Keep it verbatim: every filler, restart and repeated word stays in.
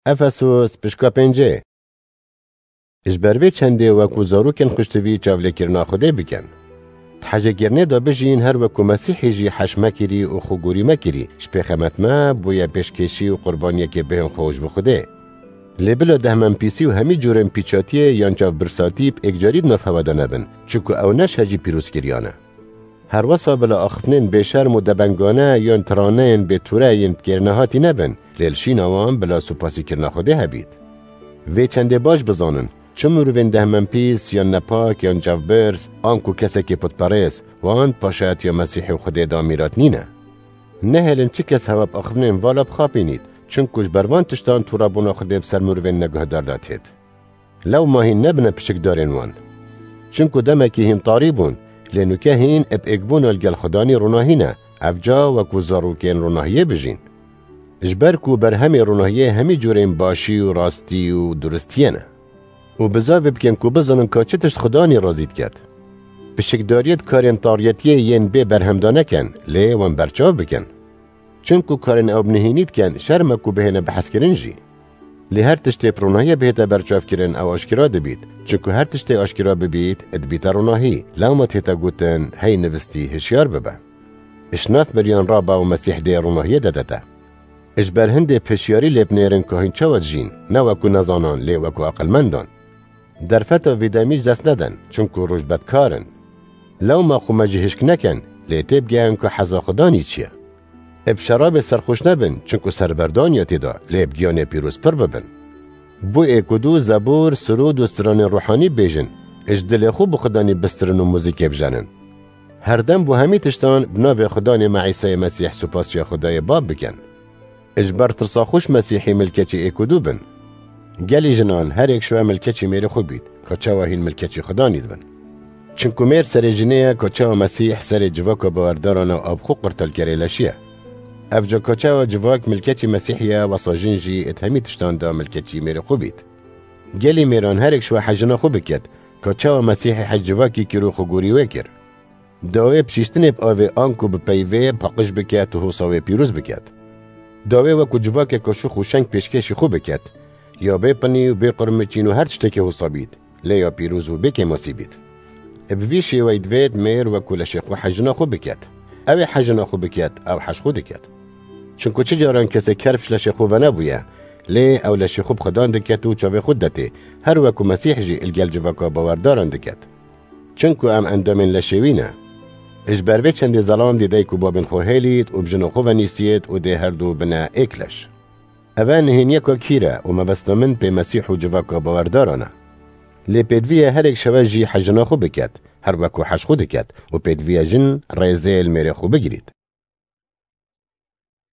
Efesos, pişka pêncê. Ji ber vê çendê wekû zarokên xuştivî çavlêkirina Xwedê bikin. Di hejêkirinê de bijîn, her wekû Mesîhî jî heş mekirî û xwegorî mekirî, ji pêxemet me bûye pêşkêşî û qurbaniyekê bihên xwe ji bo Xwedê. Lê bila dehmenpîsî û hemî cûrên pîçatiyê yan çavbirsatî bi êkcarî di nav hewe de nebin, çunku ew ne şehcî pîrozkiriyan e. Herwesa bila axiftinên bêşerm û debengane yan tiraneyên bêtûre yên bikêrnehatî nebin, lê li şîna wan bila supasîkirina Xwedê hebît. Vê çendê baş bizanin, çi mirovên dehmenpîs yan nepak yan çavbirz, anku kesekê putperêz, wan paşayetiya Mesîhê û Xwedê de mîrat nîne. Nehêlin çi kes hewa bi axiftinên vala bixapînît, çunku ji ber van tiştan tûrebûna Xwedê bi ser mirovên neguhdar de têt. Lewma hîn nebine piçikdarên wan. Çunku demekî hîn tarî bûn, lê nûke hîn bi êkbûna li gel Xudanî ronahî ne, evca wekû zarokên ronahiyê bijîn. Ji ber ku berhemê ronahiyê hemî cûrên başî û rastî û duristiyê ne. Û bizavê bikin ku bizanin ka çi tişt Xudanî razî diket. Pişikdariyê di karên tariyetiyê yên bê berhem de nekin, lê wan berçav bikin. Çunku karên ew bi nihênî dikin, şerm e ku bihêne bihezkirin jî. Lê her tiştê bi ronahiyê bihête berçavkirin, ew aşkera dibît. Çunku her tiştê aşkera bibît, dibîte ronahî. Lewma tête gotin, hey nivistî, hişyar bibe. Ji nav miriyan rabe û Mesîh dê ronahiyê de dete. Ji ber hindê bi hişyarî lê binêrin ka hîn çawa dijîn, ne wekû nezanan, lê wekû aqilmendan. Derfeta vî demî ji dest nedin, çunku roj bedkar in. Lewma xwe me jî hişk nekin, lê têbigehin ku heza Xudanî çi ye. Ê bi şerabê serxweş nebin, çunku serberdaniya tê de, lê bi giyanê pîroz pir bibin. Bo êk û du zebûr, sirûd û stranên ruhanî bêjin, ji dilê xwe bi Xudanî bistirin û muzîkê bijenin. Herdem bo hemî tiştan bi navê Xudanê me Îsayê Mesîh supasiya Xwedayê Bab bikin. Ji ber tirsa xwe ji Mesîhî milkeçî êk û du bin. Gelî jinan, her êk ji we milkeçî mêrê xwe bît, ka çawa hîn milkeçî Xudanî dibin. Çinku mêr serê jinê ye, ka çawa Mesîh serê civaka bawerdaran e, û bi xwe qurtal kerê leşî ye. Evca ka çawa civak milkeçî Mesîhî ye, wesa jin jî di hemî tiştan de milkeçî mêrê xwe bît. Gelî mêran, her êk ji we hejina xwe biket, ka çawa Mesîhê hej civakî kir û xwegorî wê kir. Dawê bi şîştinê bi avê anku bi peyvê paqij biket û hosa wê pîroz biket. Dawê wekû civakeke şûx û şeng pêşkêşî xwe biket. Ya bê pinî û bê qurmiçîn û her tiştekî hosa bît, lê ya pîroz û bê kêmasî bît. Bi vî şêweyî divêt mêr wekû leşê xwe hejina xwe biket. Ew ê hejina xwe biket, ew hej xwe diket. Çinku çi caran kesê kerf ji leşê xwe venebûye, lê ew leşê xwe bi Xudan diket û çavê xwe didetê, her wekû Mesîh jî li gel civaka bawerdaran diket. Çinku em endamên leşê wî ne. Ji ber vê çendê zelan dê dayik û babên xwe hêlît û bi jina xwe ve nîsiyêt û dê her du bine êk leş. Ev e nihêniyeka kîr e û mebesta min pê Mesîh û civaka bawerdaran e. Lê pêdivî ye her êk ji we jî hejina xwe biket, her wekû hej xwe diket û pêdivî ye jin rêzê li mêrê xwe bigirît.